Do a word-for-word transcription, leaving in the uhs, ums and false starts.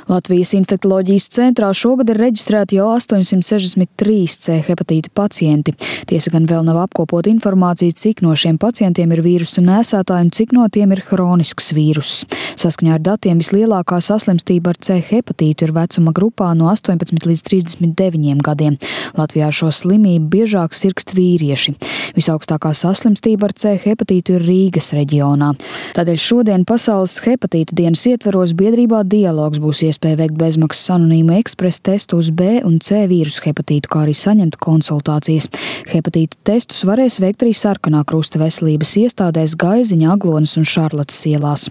Latvijas infektoloģijas centrā šogad ir reģistrēti jau astoņsimt sešdesmit trīs C hepatīta pacienti. Tiesa gan vēl nav apkopota informācija, cik no šiem pacientiem ir vīrusu nēsātāji un cik no tiem ir hronisks vīruss. Saskaņā ar datiem vislielākā saslimstība ar C hepatītu ir vecuma grupā no astoņpadsmit līdz trīsdesmit deviņiem gadiem. Latvijā ar šo slimību biežāk sirgst vīrieši. Visaugstākā saslimstība ar C hepatītu ir Rīgas reģionā. Tādēļ šodien Pasaules hepatītu dienas ietveros biedrībā Dialogs būs iespēja veikt bezmaksas anonīmu ekspresa testu uz B un C vīrusu hepatītu, kā arī saņemt konsultācijas. Hepatītu testus varēs veikt arī Sarkanā Krusta veselības iestādēs Gaiziņa, Aglonas un Šarlotes ielās.